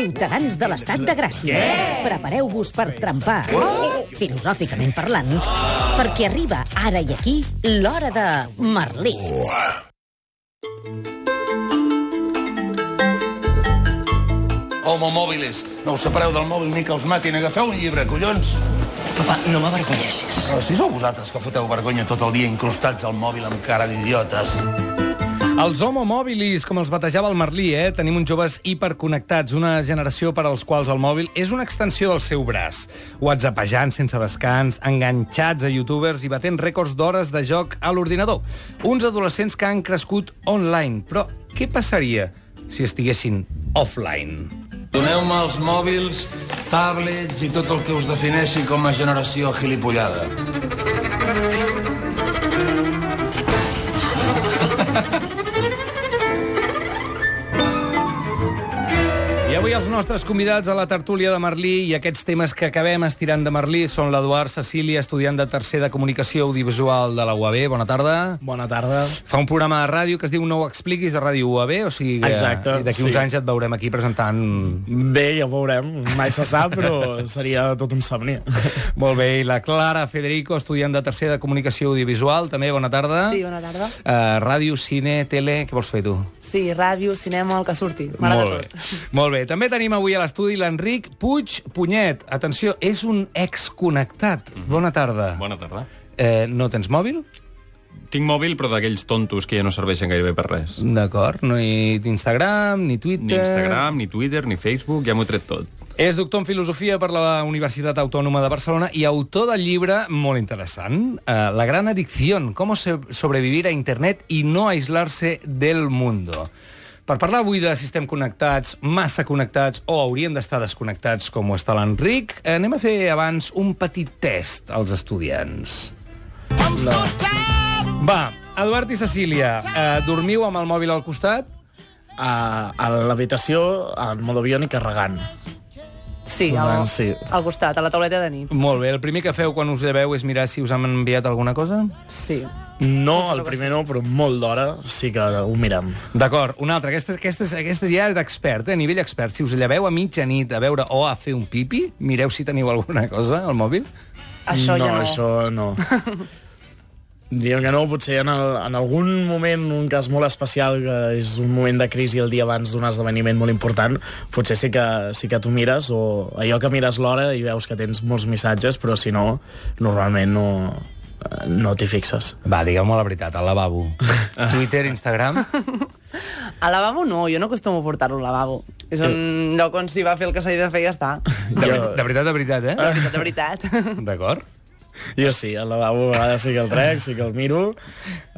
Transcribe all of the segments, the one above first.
ciutadans de l'estat de Gràcia. Prepareu-vos per trempar, filosòficament parlant, perquè arriba ara i aquí l'hora de Merlí. Homo mòbiles, no us separeu del mòbil ni que els matin. Agafeu un llibre, collons. Papa, no m'avergonyeixis. Però si sou vosaltres que foteu vergonya tot el dia incrustats al mòbil amb cara d'idiotes. Els homo mobilis, com els batejava el Merlí, tenim uns joves hiperconnectats, una generació per als quals el mòbil és una extensió del seu braç. WhatsAppejant sense descans, enganxats a youtubers i batent rècords d'hores de joc a l'ordinador. Uns adolescents que han crescut online. Però què passaria si estiguessin offline? Doneu-me els mòbils, tablets i tot el que us defineixi com a generació gilipollada. I avui els nostres convidats a la tertúlia de Merlí i aquests temes que acabem estirant de Merlí són l'Eduard Cecília, estudiant de tercer de Comunicació Audiovisual de la UAB. Bona tarda. Bona tarda. Fa un programa de ràdio que es diu No ho expliquis, a Ràdio UAB, o sigui que Exacte, d'aquí uns anys et veurem aquí presentant... Bé, ja ho veurem. Mai se sap, però seria tot un somni. Molt bé. I la Clara Federico, estudiant de tercer de Comunicació Audiovisual, també, bona tarda. Sí, bona tarda. Ràdio, cine, tele... Què vols fer, tu? Sí, ràdio, cinema, el que surti. Molt bé. Molt bé. També tenim avui a l'estudi l'Enric Puig Punyet. Atenció, és un exconnectat. Bona tarda. Bona tarda. No tens mòbil? Tinc mòbil, però d'aquells tontos que ja no serveixen gairebé per res. D'acord. No hi Instagram, ni Twitter... Ni Instagram, ni Twitter, ni Facebook, ja m'ho he tret tot. És doctor en Filosofia per la Universitat Autònoma de Barcelona i autor del llibre molt interessant, La gran adicción, cómo sobrevivir a Internet y no aislarse del mundo. Per parlar avui de si estem connectats, massa connectats o hauríem d'estar desconnectats com ho està l'Enric, anem a fer abans un petit test als estudiants. Va, Eduard i Cecília, dormiu amb el mòbil al costat? A l'habitació, al modoavió i carregant. Sí, Sí. al costat, a la tauleta de nit. Molt bé, el primer que feu quan us lleveu és mirar si us han enviat alguna cosa? Sí. No, el primer no, però molt d'hora sí que ho mirem. D'acord, una altra. Aquesta ja és d'expert, a nivell expert. Si us lleveu a mitjanit a veure o a fer un pipi, mireu si teniu alguna cosa al mòbil. Això ja no. Això no. Diríem que no, potser en algun moment, un cas molt especial, que és un moment de crisi el dia abans d'un esdeveniment molt important, potser sí que tu mires, o allò que mires l'hora i veus que tens molts missatges, però si no, normalment no t'hi fixes. Va, digueu-me la veritat, al lavabo. Twitter, Instagram... Al lavabo no, jo no acostumo a portar-lo al lavabo. És un lloc on s'hi va fer el que s'ha de fer i ja està. De veritat, eh? De veritat. D'acord. Jo sí, al lavabo a vegades sí que el trec, sí que el miro,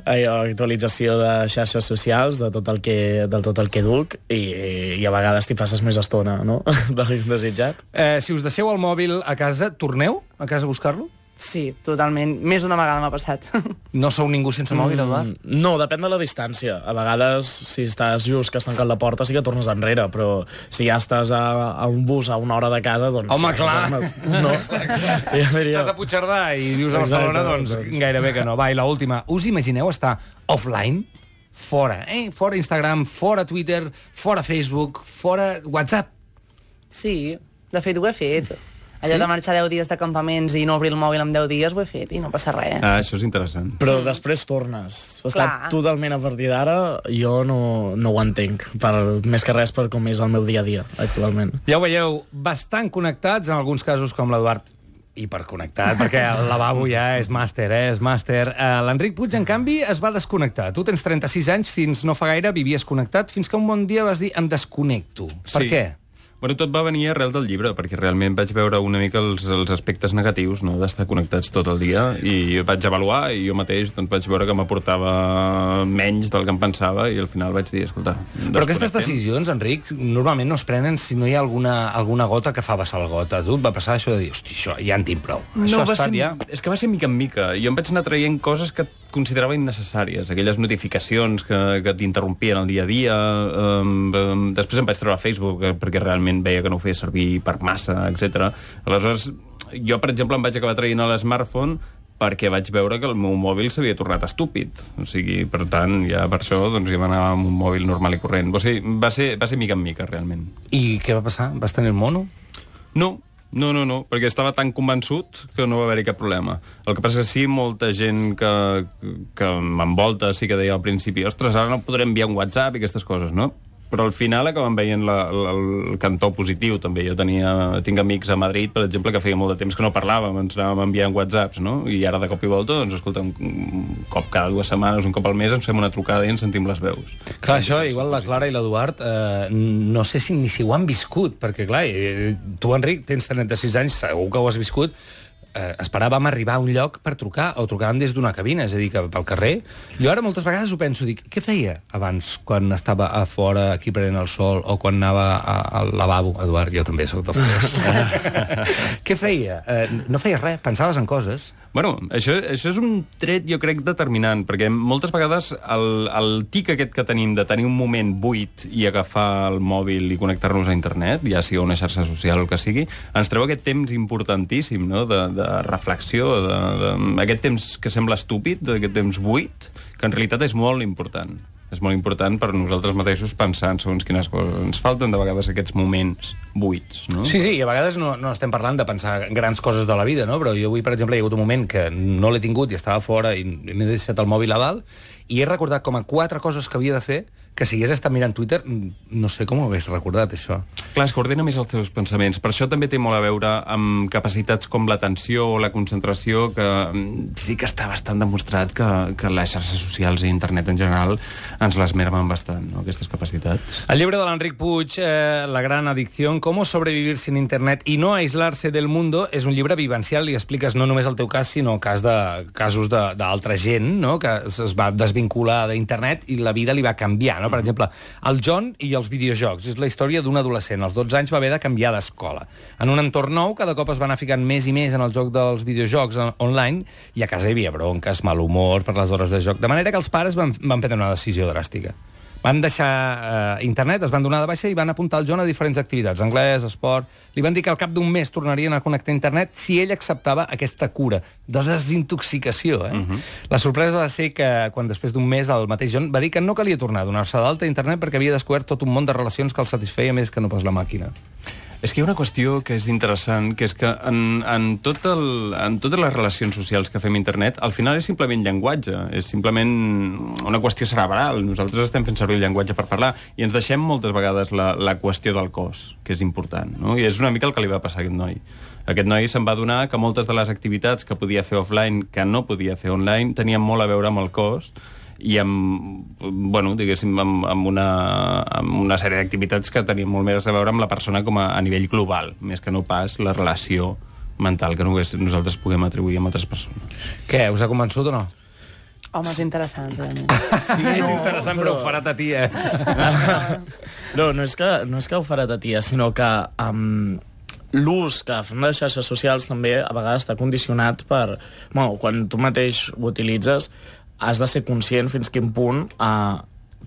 actualització de xarxes socials, de tot el que duc, i a vegades t'hi passes més estona, no?, del desitjat. Si us deixeu el mòbil a casa, torneu a casa a buscar-lo? Sí, totalment. Més d'una vegada m'ha passat. No sou ningú sense mòbil, Eduard? No, depèn de la distància. A vegades, si estàs just que has tancat la porta, sí que tornes enrere, però si ja estàs a un bus a una hora de casa, doncs... Home, clar! No. Si estàs a Puigcerdà i vius a Barcelona, doncs gairebé que no. Va, i l'última. Us imagineu estar offline? Fora, Fora Instagram, fora Twitter, fora Facebook, fora WhatsApp. Sí, de fet ho he fet. Allò de marxar 10 dies de campaments i no obrir el mòbil en 10 dies ho he fet i no passa res. Això és interessant. Però després tornes. Estar totalment a partir d'ara, jo no ho entenc. Més que res per com és el meu dia a dia, actualment. Ja ho veieu, bastant connectats, en alguns casos com l'Eduard, hiperconnectat, perquè el lavabo ja és màster, és màster. L'Enric Puig, en canvi, es va desconnectar. Tu tens 36 anys, fins no fa gaire vivies connectat, fins que un bon dia vas dir em desconnecto. Per què? Bueno, tot va venir arrel del llibre, perquè realment vaig veure una mica els aspectes negatius, no?, d'estar connectats tot el dia, i vaig avaluar, i jo mateix doncs, vaig veure que m'aportava menys del que em pensava, i al final vaig dir, escolta... Però aquestes decisions, Enric, normalment no es prenen si no hi ha alguna gota que fa vessar el got. A tu et va passar això de dir, hosti, això ja en tinc prou. No, és que va ser mica en mica. Jo em vaig anar traient coses que considerava innecessàries, aquelles notificacions que t'interrompien el dia a dia. Després em vaig treure a Facebook, perquè realment veia que no ho feia servir per massa, etc. Aleshores, jo, per exemple, em vaig acabar traient a l'smartphone perquè vaig veure que el meu mòbil s'havia tornat estúpid. O sigui, per tant, ja per això doncs, ja m'anava amb un mòbil normal i corrent. O sigui, va ser mica en mica, realment. I què va passar? Vas tenir el mono? No, perquè estava tan convençut que no va haver-hi cap problema. El que passa és que sí, molta gent que m'envolta sí que deia al principi ostres, ara no podrem enviar un WhatsApp i aquestes coses, no? Però al final acaben veient el cantó positiu, també. Jo tinc amics a Madrid, per exemple, que feia molt de temps que no parlàvem, ens anàvem enviant WhatsApps, no? I ara, de cop i volta, doncs, escolta, un cop cada 2 setmanes, un cop al mes, ens fem una trucada i ens sentim les veus. Clar, això, igual la Clara i l'Eduard, no sé ni si ho han viscut, perquè, clar, tu, Enric, tens 36 anys, segur que ho has viscut, esperàvem arribar a un lloc per trucar, o trucàvem des d'una cabina, és a dir, que pel carrer. Jo ara moltes vegades ho penso, dic, què feia abans, quan estava a fora, aquí prenent el sol, o quan anava al lavabo? Eduard, jo també soc dels tres. Què feia? No feia res, pensaves en coses. Bueno, això és un tret, jo crec, determinant, perquè moltes vegades el tic aquest que tenim de tenir un moment buit i agafar el mòbil i connectar-nos a internet, ja sigui una xarxa social o el que sigui, ens treu aquest temps importantíssim, no?, de reflexió, aquest temps que sembla estúpid, aquest temps buit, que en realitat és molt important. És molt important per nosaltres mateixos pensar en segons quines coses. Ens falten de vegades aquests moments buits, no? Sí, i a vegades no estem parlant de pensar grans coses de la vida, no? Però jo avui, per exemple, hi ha hagut un moment que no l'he tingut i estava fora i m'he deixat el mòbil a dalt i he recordat com a 4 coses que havia de fer que si hagués estat mirant Twitter, no sé com ho hagués recordat, això. Clar, es coordina més els teus pensaments. Per això també té molt a veure amb capacitats com l'atenció o la concentració, que sí que està bastant demostrat que les xarxes socials i internet en general ens les mermen bastant, no?, aquestes capacitats. El llibre de l'Enric Puig, La gran adicción, cómo sobrevivir sin internet y no aislarse del mundo, és un llibre vivencial i expliques no només el teu cas, sinó casos d'altra gent, no?, que es va desvincular d'internet i la vida li va canviar, no? Per exemple, el John i els videojocs. És la història d'un adolescent. Als 12 anys va haver de canviar d'escola. En un entorn nou, cada cop es va anar ficant més i més en el joc dels videojocs online i a casa hi havia bronques, mal humor per les hores de joc. De manera que els pares van prendre una decisió dràstica. Van deixar internet, es van donar de baixa i van apuntar el John a diferents activitats, anglès, esport. Li van dir que al cap d'un mes tornarien a connectar a internet si ell acceptava aquesta cura de desintoxicació. La sorpresa va ser que, quan després d'un mes el mateix John va dir que no calia tornar a donar-se d'alta a internet perquè havia descobert tot un món de relacions que el satisfeia més que no pas la màquina. És que hi ha una qüestió que és interessant, que és que en totes les relacions socials que fem a internet, al final és simplement llenguatge, és simplement una qüestió cerebral. Nosaltres estem fent servir el llenguatge per parlar i ens deixem moltes vegades la qüestió del cos, que és important, no? I és una mica el que li va passar a aquest noi. Aquest noi se'n va adonar que moltes de les activitats que podia fer offline, que no podia fer online, tenien molt a veure amb el cos i amb una sèrie d'activitats que tenien molt més a veure amb la persona com a nivell global, més que no pas la relació mental que nosaltres puguem atribuir a altres persones. Què, us ha convençut o no? Home, és interessant, realment. Sí, és interessant, però ho farà ta tia. No és que ho farà ta tia, sinó que l'ús que fem de les xarxes socials també a vegades està condicionat per... Bueno, quan tu mateix ho utilitzes, has de ser conscient fins quin punt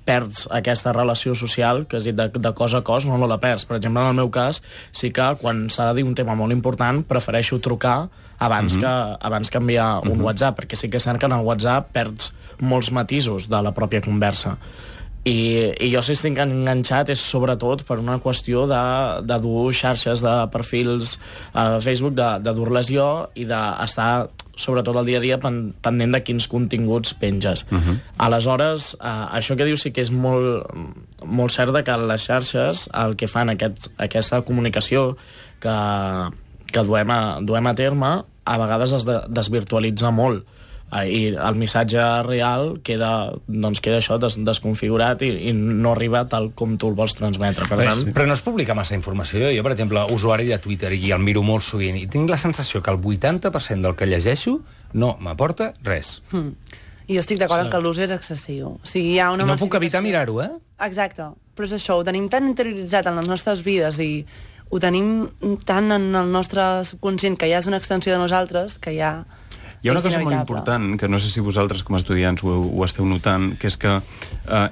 perds aquesta relació social, que has dit de cos a cos, no la perds. Per exemple, en el meu cas, sí que quan s'ha de dir un tema molt important, prefereixo trucar abans que enviar un WhatsApp, perquè sí que és cert que en el WhatsApp perds molts matisos de la pròpia conversa. I jo si estic enganxat és sobretot per una qüestió de dur xarxes de perfils a Facebook, de dur-les jo i d'estar sobretot el dia a dia pendent de quins continguts penges. Aleshores, això que dius sí que és molt cert que les xarxes el que fan aquesta comunicació que duem a terme a vegades es desvirtualitza molt. I el missatge real queda això desconfigurat i no arriba tal com tu el vols transmetre. Per tant... Però no es publica massa informació. Jo, per exemple, usuari de Twitter, i el miro molt sovint, i tinc la sensació que el 80% del que llegeixo no m'aporta res. I jo estic d'acord que l'ús és excessiu. O sigui, hi ha una no puc evitar mirar-ho, eh? Exacte. Però és això, ho tenim tan interioritzat en les nostres vides i ho tenim tan en el nostre subconscient que ja és una extensió de nosaltres que ja... Hi ha una cosa molt important, que no sé si vosaltres com a estudiants ho esteu notant, que és que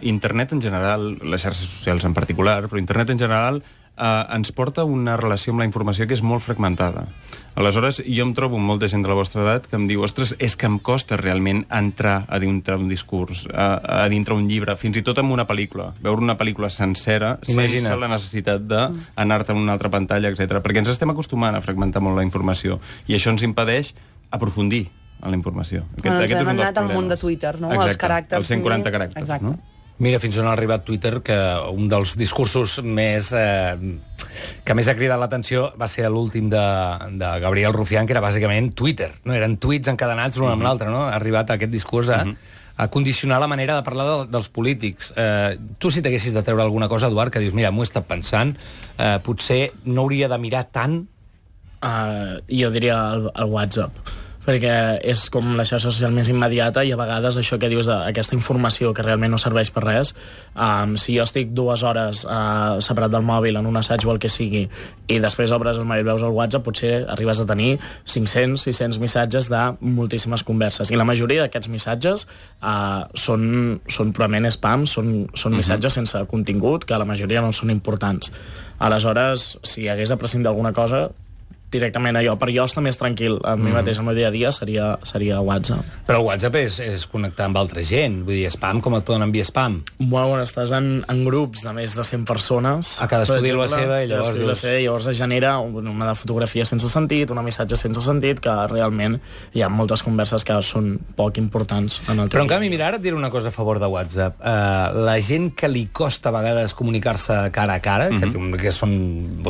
internet en general, les xarxes socials en particular, però internet en general ens porta una relació amb la informació que és molt fragmentada. Aleshores, jo em trobo amb molta gent de la vostra edat que em diu, ostres, és que em costa realment entrar a dintre un discurs, a dintre un llibre, fins i tot amb una pel·lícula. Veure una pel·lícula sencera sense la necessitat d'anar-te a una altra pantalla, etc. Perquè ens estem acostumant a fragmentar molt la informació i això ens impedeix aprofundir en la informació. Aquest hem anat al món de Twitter, no? Exacte, els caràcters. Els 140 caràcters. Exacte. No? Mira fins on ha arribat Twitter, que un dels discursos més que més ha cridat l'atenció va ser l'últim de Gabriel Rufián, que era bàsicament Twitter. No? Eren tuits encadenats l'un amb l'altre. No? Ha arribat aquest discurs a condicionar la manera de parlar dels polítics. Tu, si t'haguessis de treure alguna cosa, Eduard, que dius, mira, m'ho he estat pensant, potser no hauria de mirar tant... Jo diria el WhatsApp, perquè és com la xarxa social més immediata i a vegades això que dius d'aquesta informació que realment no serveix per res, si jo estic 2 hores separat del mòbil en un assaig o el que sigui i després obres el mòbil i veus el WhatsApp, potser arribes a tenir 500, 600 missatges de moltíssimes converses i la majoria d'aquests missatges són purament spam, són missatges sense contingut que la majoria no són importants. Aleshores, si hagués de prescindir d'alguna cosa, directament allò, per jo estar més tranquil a mi mateix, al meu dia a dia, seria WhatsApp. Però el WhatsApp és connectar amb altra gent, vull dir, spam, com et poden enviar spam? Bueno, estàs en grups de més de 100 persones. A cadascú diu la seva i llavors es genera una fotografia sense sentit, un missatge sense sentit, que realment hi ha moltes converses que són poc importants en el Però en canvi, mira, ara et diré una cosa a favor de WhatsApp. La gent que li costa a vegades comunicar-se cara a cara, que són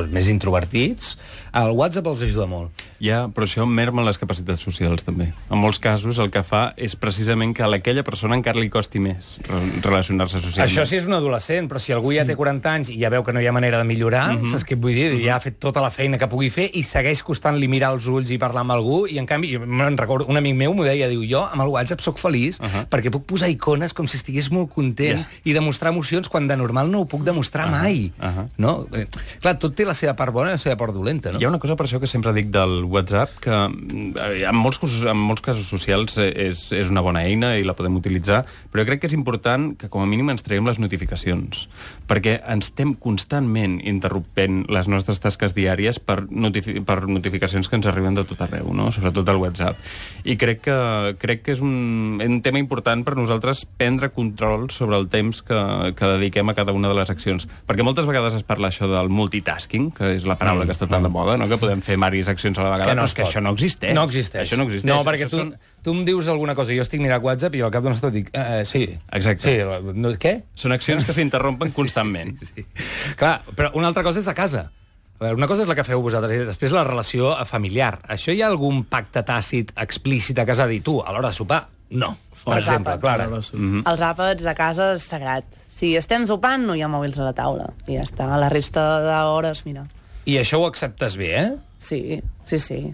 més introvertits, el WhatsApp els ajuda molt. Ja, però això merma les capacitats socials, també. En molts casos, el que fa és precisament que a aquella persona encara li costi més relacionar-se socialment. Això sí és un adolescent, però si algú ja té 40 anys i ja veu que no hi ha manera de millorar, saps què et vull dir? Ja ha fet tota la feina que pugui fer i segueix costant-li mirar els ulls i parlar amb algú, i en canvi, jo me'n recordo, un amic meu m'ho deia, diu, jo amb el WhatsApp sóc feliç perquè puc posar icones com si estigués molt content i demostrar emocions quan de normal no ho puc demostrar mai. No? Clar, tot té la seva part bona i la seva part dolenta, no? Hi ha una cosa per això que sempre dic del WhatsApp, que en molts casos socials és una bona eina i la podem utilitzar, però jo crec que és important que com a mínim ens traiem les notificacions, perquè ens estem constantment interrompent les nostres tasques diàries per notificacions que ens arriben de tot arreu, no? Sobretot al WhatsApp. I crec que és un tema important per nosaltres prendre control sobre el temps que dediquem a cada una de les accions. Perquè moltes vegades es parla això del multitasking, que és la paraula que està tan de moda, no? Que podem fer diverses accions a la vegada, però és que això no existeix. No existeix. Això no existeix. No, perquè tu em dius alguna cosa, jo estic mirant WhatsApp i al cap d'una estona dic, sí. Exacte. Sí, què? Són accions que s'interrompen constantment. Sí. Clar, però una altra cosa és a casa. A veure, una cosa és la que feu vosaltres, i després la relació familiar. Això hi ha algun pacte tàcit explícit a casa de dir, tu, a l'hora de sopar? No, per exemple, Clara. Els àpats a casa és sagrat. Si estem sopant, no hi ha mòbils a la taula. I ja està, la resta d'hores, mira. I això ho acceptes bé, eh? Sí.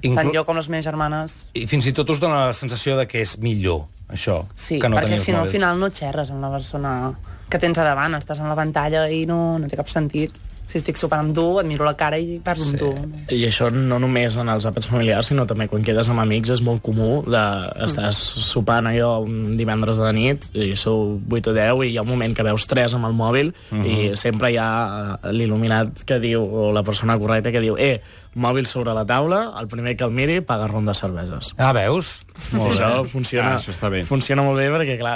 Tant jo com les meves germanes. I fins i tot us dona la sensació de que és millor, això, sí, que no perquè si no, mòbils. al final no xerres amb la persona que tens a davant, estàs en la pantalla i no té cap sentit. Si estic sopant amb tu, et miro la cara i parlo amb tu. I això no només en els àpats familiars, sinó també quan quedes amb amics és molt comú estàs sopant allò un divendres de nit i sou 8 o 10 i hi ha un moment que veus 3 amb el mòbil i sempre hi ha l'il·luminat que diu, o la persona correcta que diu, mòbil sobre la taula, el primer que el miri paga ronda de cerveses. Ah, veus? Molt bé. Funciona, això està bé. Funciona molt bé perquè, clar,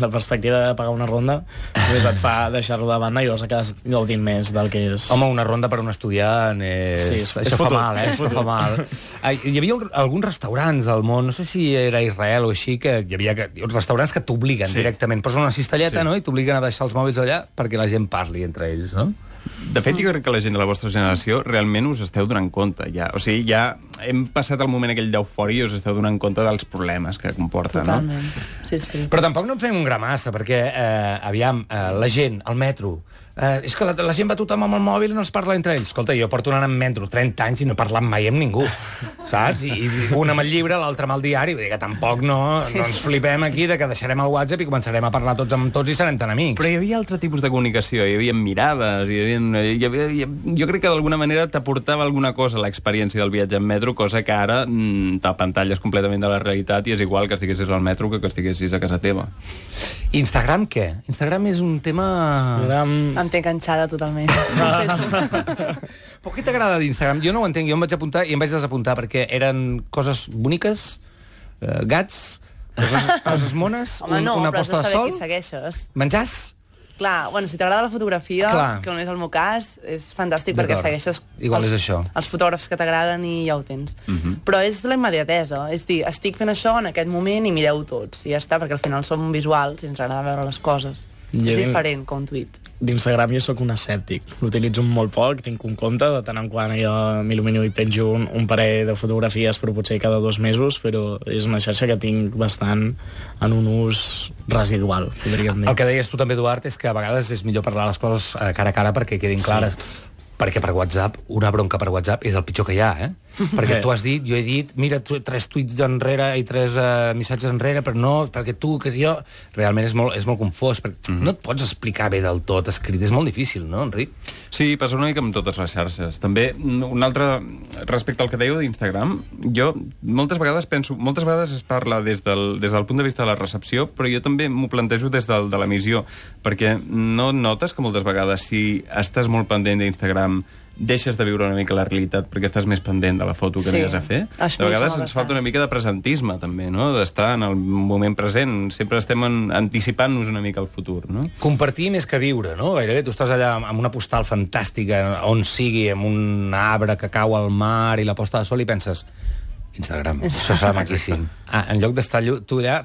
la perspectiva de pagar una ronda només et fa deixar-lo de banda i llavors acabes gaudint més del que és... Home, una ronda per un estudiant és... Sí, això fa mal, Això fa mal. Hi havia alguns restaurants al món, no sé si era Israel o així, que hi havia restaurants que t'obliguen directament. Posen una cistelleta, no?, i t'obliguen a deixar els mòbils allà perquè la gent parli entre ells, no? De fet, jo crec que la gent de la vostra generació realment us esteu donant compte, ja. O sigui, ja hem passat el moment aquell d'eufòria i us esteu donant compte dels problemes que comporta, Totalment. No? Sí. Però tampoc no en fem un gra massa, perquè, aviam, la gent, al metro... és que la gent va tothom amb el mòbil i no es parla entre ells. Escolta, jo porto anant amb metro 30 anys i no he parlat mai amb ningú, saps? I un amb el llibre, l'altre amb el diari, vull dir que tampoc no ens flipem aquí de que deixarem el WhatsApp i començarem a parlar tots amb tots i serem tan amics. Però hi havia altre tipus de comunicació, hi havia mirades, jo crec que d'alguna manera t'aportava alguna cosa l'experiència del viatge en metro metro, cosa que ara t'apantalles completament de la realitat i és igual que estiguessis al metro que estiguessis a casa teva. Instagram què? Instagram és un tema... Em té enganxada totalment. Però què t'agrada d'Instagram? Jo no ho entenc, jo em vaig apuntar i em vaig desapuntar perquè eren coses boniques, gats, coses mones, Home, no, una però has posta de de saber sol, qui segueixes. menjars... Clar, bueno, si t'agrada la fotografia, Clar. que no és el meu cas, és fantàstic perquè D'acord. segueixes Igual és això. els fotògrafs que t'agraden i ja ho tens. Però és la immediatesa, és dir, estic fent això en aquest moment i mireu tots, i ja està, perquè al final som visuals i ens agrada veure les coses. És diferent que un tuit. D'Instagram jo sóc un escèptic. L'utilitzo molt poc, tinc un compte, de tant en quant jo m'il·lumino i penjo un parell de fotografies, però potser cada 2 mesos, però és una xarxa que tinc bastant en un ús residual, podríem dir. El que deies tu també, Eduard, és que a vegades és millor parlar les coses cara a cara perquè quedin clares. Perquè per WhatsApp, una bronca per WhatsApp és el pitjor que hi ha, Perquè tu has dit, jo he dit, mira, 3 tuits enrere i 3 missatges enrere, però no, perquè tu, que jo... Realment és molt confós, perquè no et pots explicar bé del tot escrit, és molt difícil, no, Enric? Sí, passa una mica amb totes les xarxes. També, un altre, respecte al que dèieu d'Instagram, jo moltes vegades es parla des del punt de vista de la recepció, però jo també m'ho plantejo des de l'emissió, perquè no notes que moltes vegades si estàs molt pendent d'Instagram deixes de viure una mica la realitat perquè estàs més pendent de la foto que anies a fer. De vegades ens falta una mica de presentisme, també, no? D'estar en el moment present. Sempre estem anticipant-nos una mica al futur, no? Compartir més que viure, no? Gairebé tu estàs allà amb una postal fantàstica, on sigui, amb un arbre que cau al mar i la posta de sol, i penses... Instagram, això serà maquíssim. En lloc d'estar tu allà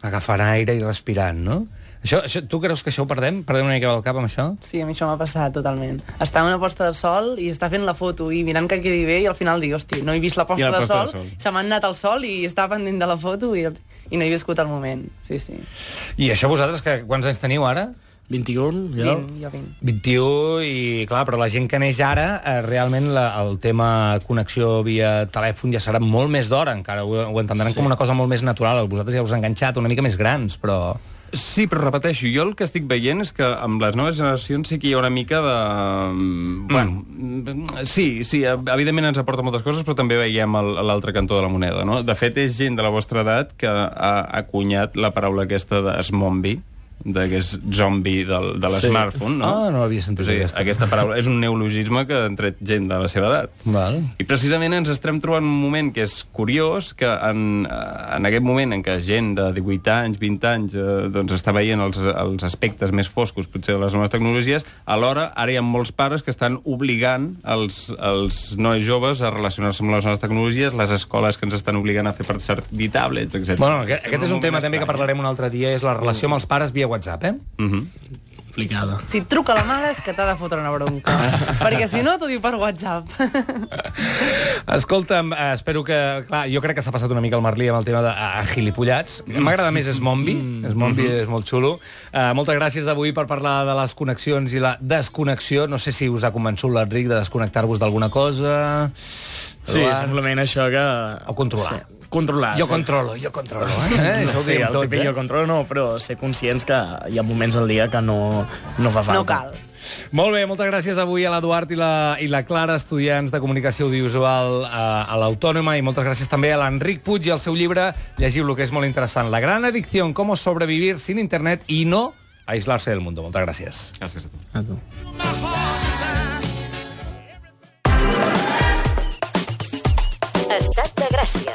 agafant aire i respirant, no? Això, tu creus que això ho perdem? Perdem una mica el cap amb això? Sí, a mi això m'ha passat totalment. Estar en una posta de sol i estar fent la foto i mirant que quedi bé i al final dir, hosti, no he vist la posta de sol, se m'ha anat el sol i estava pendent de la foto i no he viscut el moment. Sí, sí. I això vosaltres, quants anys teniu ara? 21, jo? 20, jo 20. 21, i clar, però la gent que neix ara, realment el tema connexió via telèfon ja serà molt més d'hora, encara ho entendran com una cosa molt més natural. Vosaltres ja us heu enganxat una mica més grans, però... Sí, però repeteixo, jo el que estic veient és que amb les noves generacions sí que hi ha una mica de... Bueno, sí, evidentment ens aporta moltes coses, però també veiem l'altre cantó de la moneda, no? De fet, és gent de la vostra edat que ha acunyat la paraula aquesta de zombi, que és zombi de l'smartphone, no? Ah, no l'havia sentit, aquesta paraula. És un neologisme que ha tret gent de la seva edat. Val. I precisament ens estem trobant un moment que és curiós, que en aquest moment en què gent de 18 anys, 20 anys, doncs està veient els aspectes més foscos, potser, de les noves tecnologies, alhora ara hi ha molts pares que estan obligant els nois joves a relacionar-se amb les noves tecnologies, les escoles que ens estan obligant a fer per servir tablets, etc. Bueno, aquest és un tema també que parlarem un altre dia, és la relació amb els pares via WhatsApp, Complicada. Si et truca la mare és que t'ha de fotre una bronca. Perquè si no, t'ho diu per WhatsApp. Escolta'm, espero que... Clar, jo crec que s'ha passat una mica el Merlí amb el tema de gilipollats. M'agrada més Smombi. Smombi és molt xulo. Moltes gràcies avui per parlar de les connexions i la desconnexió. No sé si us ha convençut l'Enric de desconnectar-vos d'alguna cosa. Sí, simplement això que... O controlar. Sí. Controlar. Jo controlo. No sé, el típic jo controlo no, però ser conscients que hi ha moments al dia que no fa falta. No cal. Molt bé, moltes gràcies avui a l'Eduard i la Clara, estudiants de Comunicació Audiovisual a l'Autònoma, i moltes gràcies també a l'Enric Puig i al seu llibre. Llegiu-lo, que és molt interessant. La gran adicción, cómo sobrevivir sin internet y no aislarse del mundo. Moltes gràcies. Gràcies a tu. A tu. Estat de Gràcia.